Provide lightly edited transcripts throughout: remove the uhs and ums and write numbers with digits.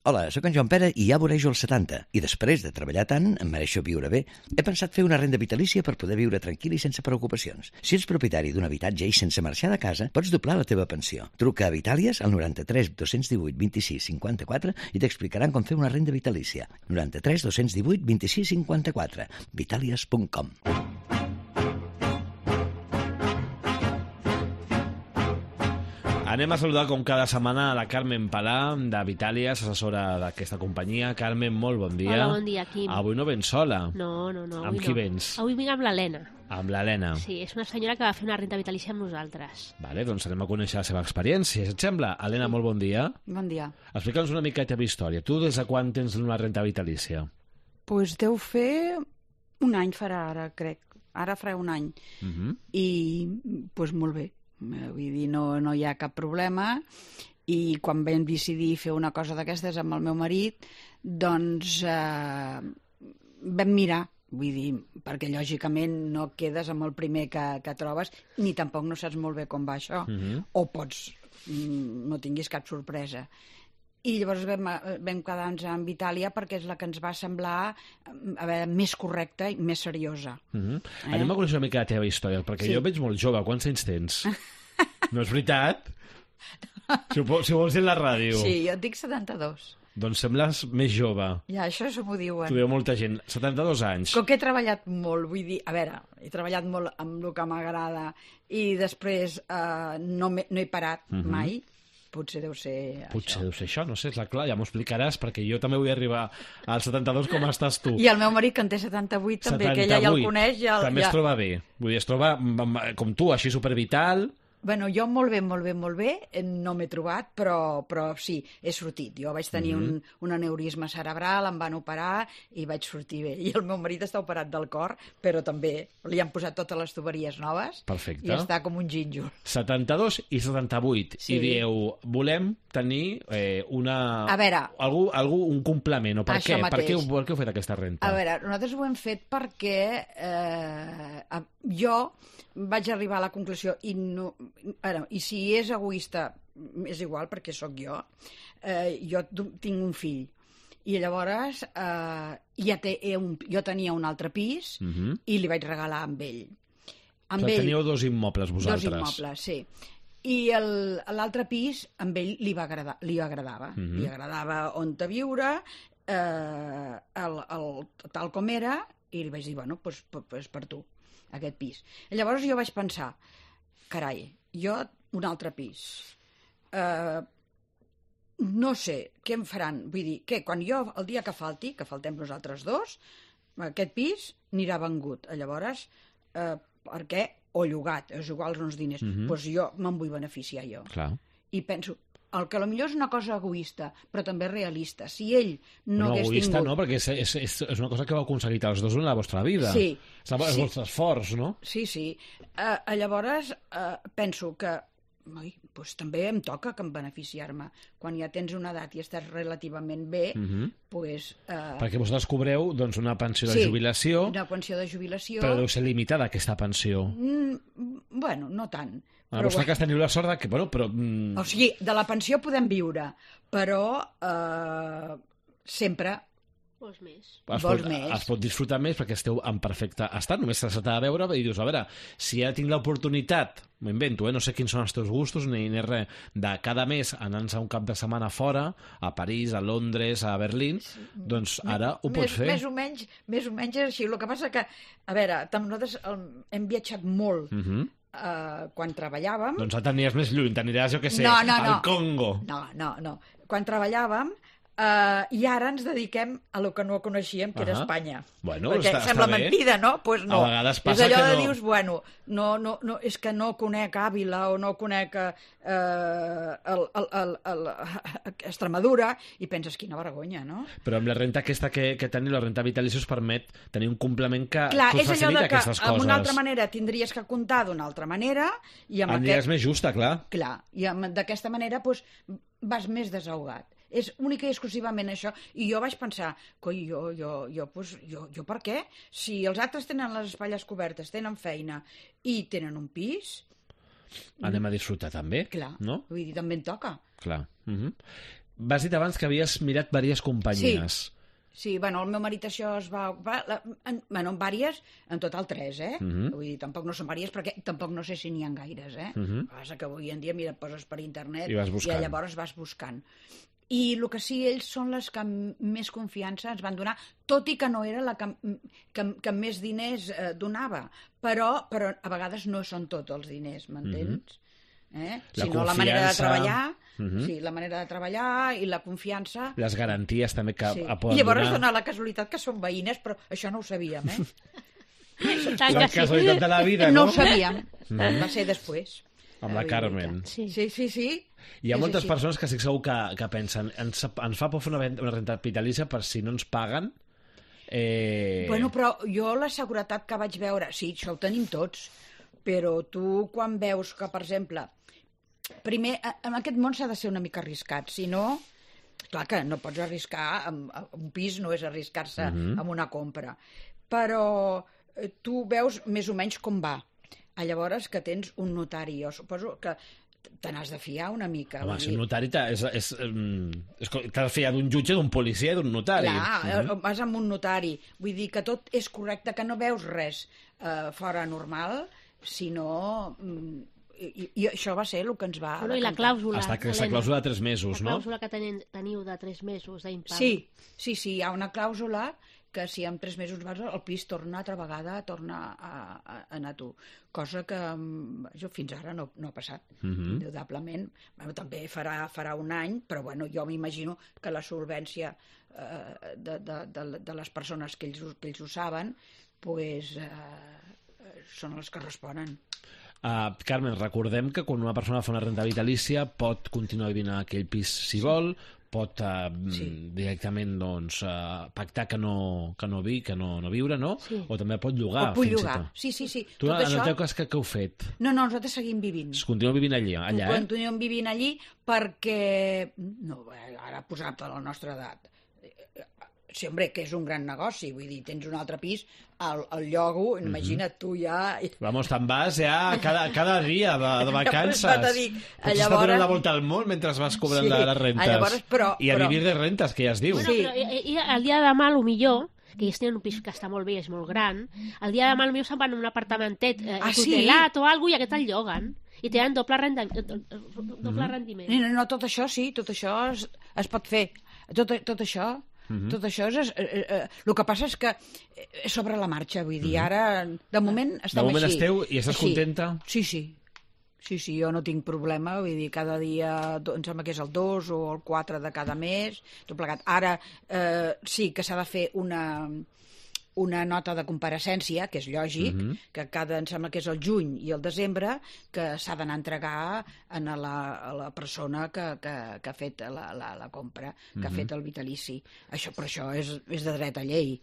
Hola, sóc en Joan Pere i ja vorejo els 70 i després de treballar tant, em mereixo viure bé. He pensat fer una renda vitalícia per poder viure tranquil i sense preocupacions. Si ets propietari d'un habitatge i sense marxar de casa, pots doblar la teva pensió. Truca a Vitàlies al 93 218 26 54 i t'explicaran com fer una renda vitalícia. 93 218 26 54. Vitàlies.com. Anem a saludar com cada setmana a la Carmen Palà, de Vitàlies, assessora d'aquesta companyia. Carmen, molt bon dia. Hola, bon dia, Quim. Avui no vens sola. No. Amb qui vens? Avui vinc amb l'Helena. Amb l'Helena. Sí, és una senyora que va fer una renda vitalícia amb nosaltres. Vale, doncs anem a conèixer la seva experiència. Si et sembla? Helena, molt bon dia. Bon dia. Explica'ns una mica la teva història. Tu des de quan tens una renda vitalícia? Pues deu fer un any farà ara, crec. Ara farà un any. I, pues molt bé. Vull dir, no hi ha cap problema. I quan vam decidir fer una cosa d'aquestes amb el meu marit, doncs vam mirar. Vull dir, perquè lògicament no quedes amb el primer que trobes, ni tampoc no saps molt bé com va això. O pots, no tinguis cap sorpresa. I llavors vam quedar-nos amb Vitàlia perquè és la que ens va semblar més correcta i més seriosa. Anem a conèixer una mica la teva història, perquè jo veig molt jove. Quants anys tens? No és veritat? Si vols dir la ràdio. Sí, jo et dic 72. Doncs sembles més jove. Ja, això m'ho diuen. T'ho diu molta gent. 72 anys. Com que he treballat molt, vull dir, a veure, he treballat molt amb el que m'agrada i després no he parat mai. Potser deu ser això, no sé, és clar, ja m'ho explicaràs, perquè jo també vull arribar als 72 com estàs tu. I el meu marit, que en té 78, també, que ella ja el coneix. També es troba bé, vull dir, es troba com tu, així supervital. Bueno, jo molt bé, no m'he trobat, però sí, he sortit. Jo vaig tenir un aneurisma cerebral, em van operar i vaig sortir bé. I el meu marit està operat del cor, però també li han posat totes les tuberies noves. Perfecte. I està com un gínjol. 72 i 78. Sí. I dieu, volem tenir un complement, o per què? Per què heu fet aquesta renta? A veure, nosaltres ho hem fet perquè jo vaig arribar a la conclusió i si és egoista és igual perquè sóc jo tinc un fill i llavors jo tenia un altre pis i li vaig regalar amb ell. Teníeu dos immobles vosaltres. Dos immobles, sí. I l'altre pis amb ell li agradava. Li agradava on viure, tal com era, i li vaig dir, bueno, doncs per tu, aquest pis. I llavors jo vaig pensar, carai, jo un altre pis. No sé què em faran. Vull dir, que quan jo, el dia que faltem nosaltres dos, aquest pis anirà vengut. Llavors, per què? O llogat, és igual uns diners. Doncs jo me'n vull beneficiar jo. Clar. I penso, el que potser és una cosa egoista, però també realista. Si ell no hagués egoista tingut... no, perquè és una cosa que heu aconseguit els dos en la vostra vida. Sí. És el vostre esforç, no? Sí. Llavors penso que doncs també em toca que em beneficiar-me. Quan ja tens una edat i estàs relativament bé, doncs... Perquè vosaltres cobreu una pensió de jubilació. Sí, una pensió de jubilació. Però deu ser limitada, aquesta pensió. Bueno, no tant. A vostre cas teniu la sort que... O sigui, de la pensió podem viure, però sempre... Vols més. Es pot disfrutar més perquè esteu en perfecte estat, només s'ha de veure i dius, a veure, si ja tinc l'oportunitat, m'ho invento, no sé quins són els teus gustos ni res, de cada mes anar-nos a un cap de setmana fora, a París, a Londres, a Berlín, doncs ara ho pots fer. Més o menys és així. El que passa que, a veure, nosaltres hem viatjat molt quan treballàvem. Doncs ara t'aniries més lluny, t'aniràs, jo què sé, al Congo. No. Quan treballàvem, i ara ens dediquem a lo que no coneixíem, que era Espanya. Bueno, perquè sembla mentida, no? Pues no. A vegades passa és allò que de dius, bueno, no, és que no conec Àvila o no conec Extremadura, i penses, quina vergonya, no? Però amb la renta aquesta que teniu, la renta vitalícia, us permet tenir un complement que us facilita aquestes coses. D'una altra manera tindries que comptar d'una altra manera, i amb aniràs més justa, clar. Clar, i d'aquesta manera vas més desahogat. És única i exclusivament això. I jo vaig pensar, coi, jo per què? Si els altres tenen les espatlles cobertes, tenen feina i tenen un pis... Anem a disfrutar també, clar, no? Vull dir, també en toca. Clar. M'has dit abans que havies mirat diverses companyies. Sí, bueno, el meu marit això es va ocupar, en vàries, en total 3, Vull dir, tampoc no són vàries, perquè tampoc no sé si n'hi ha gaires, El que passa que avui en dia, mira, et poses per internet I llavors vas buscant. I el que sí, ells són les que més confiança ens van donar, tot i que no era la que més diners donava, però a vegades no són tots els diners, m'entens? Sinó la manera de treballar, sí, la manera de treballar i la confiança. Les garanties també que poden donar. I llavors dona la casualitat que són veïnes, però això no ho sabíem, La casualitat de la vida, no? No ho sabíem, va ser després. Amb la Carmen. Sí. Hi ha moltes persones que estic segur que pensen ens fa por fer una renta vitalícia per si no ens paguen. Bueno, però jo la seguretat que vaig veure, sí, això ho tenim tots, però tu quan veus que, per exemple, primer, en aquest món s'ha de ser una mica arriscat, si no, clar que no pots arriscar, un pis no és arriscar-se amb una compra, però tu veus més o menys com va. Llavors que tens un notari, jo suposo que te n'has de fiar una mica. Home, si un notari t'has de fiar d'un jutge, d'un policia i d'un notari. Clar, vas amb un notari. Vull dir que tot és correcte, que no veus res fora normal, sinó... I això va ser el que ens va... I la clàusula, aquesta clàusula de 3 mesos, no? La clàusula que teniu de 3 mesos d'impagament. Sí, hi ha una clàusula que si en 3 mesos vas, el pis torna altra vegada a anar a tu. Cosa que fins ara no ha passat, indudablement. També farà un any, però jo m'imagino que la solvència de les persones que ells ho saben són les que responen. Carmen, recordem que quan una persona fa una renda vitalícia pot continuar vivint en aquell pis si vol, pot directament pactar que no viure, no? Sí. O també pot llogar. O pot llogar, sí. Tu, en el teu cas, què heu fet? No, nosaltres seguim vivint. Continueu vivint allà, Continuem vivint allí perquè... No, ara posar-te a la nostra edat... Sí, hombre, que és un gran negoci, vull dir, tens un altre pis al llogo, imagina't tu ja... Vamos, te'n vas ja cada dia de vacances. Pots estar donant la volta al món mentre vas cobrant les rentes. I a vivir de rentes, que ja es diu. Bueno, però el dia de demà, millor, que ells tenen un pis que està molt bé, és molt gran, el dia de demà potser se'n van a un apartamentet tutelat o alguna cosa i aquest el lloguen. I tenen doble rendiment. No, tot això sí, tot això es pot fer. Tot això... Tot això és... el que passa és que és sobre la marxa, vull dir, ara, de moment estem així. De moment esteu i estàs contenta? Sí, jo no tinc problema, vull dir, cada dia, em sembla que és el 2 o el 4 de cada mes, tot plegat. Ara sí que s'ha de fer una nota de compareixença, que és lògic, que em sembla que és el juny i el desembre, que s'ha d'anar a entregar a la persona que ha fet la compra, que ha fet el vitalici. Però això és de dret a llei,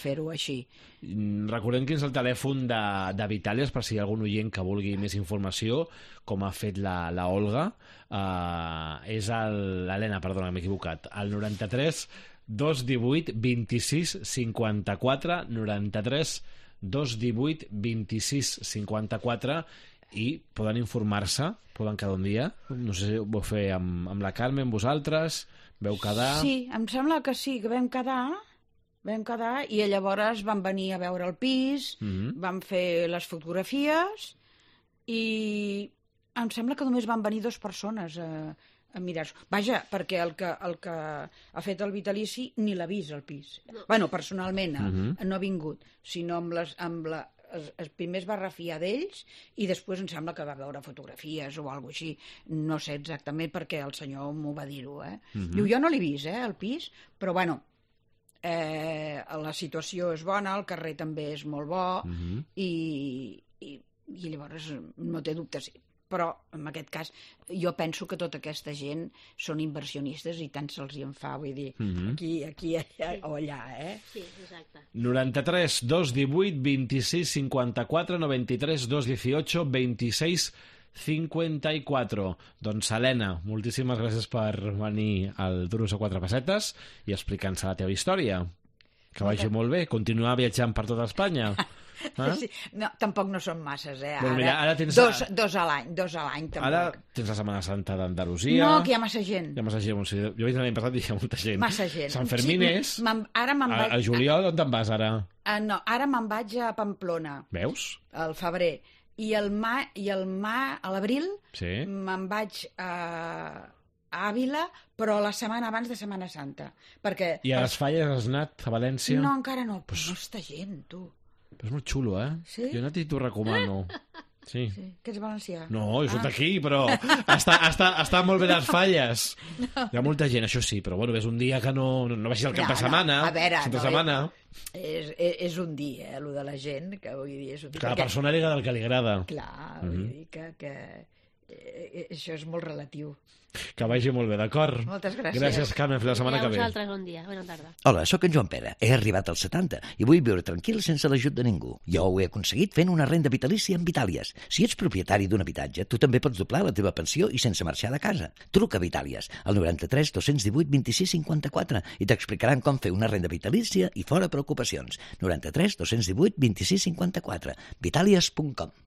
fer-ho així. Recordem quin és el telèfon de Vitàlies, per si hi ha algun oient que vulgui més informació, com ha fet la Olga. És l'Helena, perdona, m'he equivocat. El 93 218 26 54 93 218 26 54 i poden informar-se, poden quedar un dia, no sé si ho vau fer amb la Carmen, vosaltres, veu quedar... Sí, em sembla que sí, que vam quedar i llavors van venir a veure el pis, van fer les fotografies i em sembla que només van venir 2 persones a mirar-s'ho. Vaja, perquè el que ha fet el vitalici ni l'ha vist, el pis. Bueno, personalment no ha vingut, sinó primer es va refiar d'ells i després em sembla que va veure fotografies o alguna cosa així. No sé exactament perquè el senyor m'ho va dir-ho. Diu, jo no l'he vist, el pis, però bueno, la situació és bona, el carrer també és molt bo i llavors no té dubtes. Però, en aquest cas, jo penso que tota aquesta gent són inversionistes i tant se'ls hi en fa, vull dir, aquí o allà, Sí, exacte. 93 218 26 54 93 218 26 54. Doncs, Helena, moltíssimes gràcies per venir al Duros a 4 pessetes i explicar-nos la teva història. Que vagi molt bé, continuar viatjant per tota Espanya. Sí. No, tampoc no són masses, Bueno, mira, ara tens... Dos a l'any, tampoc. Ara tens la Setmana Santa d'Andalusia... No, que hi ha massa gent. Hi ha massa gent. Jo vaig l'any passat i hi ha molta gent. Massa gent. Sant Fermines... Sí, ara me'n vaig... A juliol, on te'n vas, ara? No, ara me'n vaig a Pamplona. Veus? Al febrer. I a l'abril Sí. me'n vaig a Àvila, però la setmana abans de Setmana Santa. Perquè... I a les Falles has anat, a València? No, encara no. Pues... Molta gent, tu. Però és molt xulo, eh? Sí? Jo anat i t'ho recomano. Sí. Que ets valencià? No, jo soc d'aquí, però està molt bé les Falles. No. Hi ha molta gent, això sí, però bueno, és un dia que no vagis al cap de setmana. A veure, setmana. És un dia, lo de la gent, que vull dir... És un dia, cada persona li agrada el que li agrada. Clar, vull dir que això és molt relatiu. Que vagi molt bé, d'acord? Moltes gràcies. Gràcies, Carme, fins la setmana que ve. A vosaltres, bon dia, bona tarda. Hola, sóc en Joan Pere. He arribat als 70 i vull viure tranquil sense l'ajut de ningú. Jo ho he aconseguit fent una renda vitalícia amb Vitàlies. Si ets propietari d'un habitatge, tu també pots doblar la teva pensió i sense marxar de casa. Truca a Vitàlies al 93 218 26 54 i t'explicaran com fer una renda vitalícia i fora preocupacions. 93 218 26 54. Vitàlies.com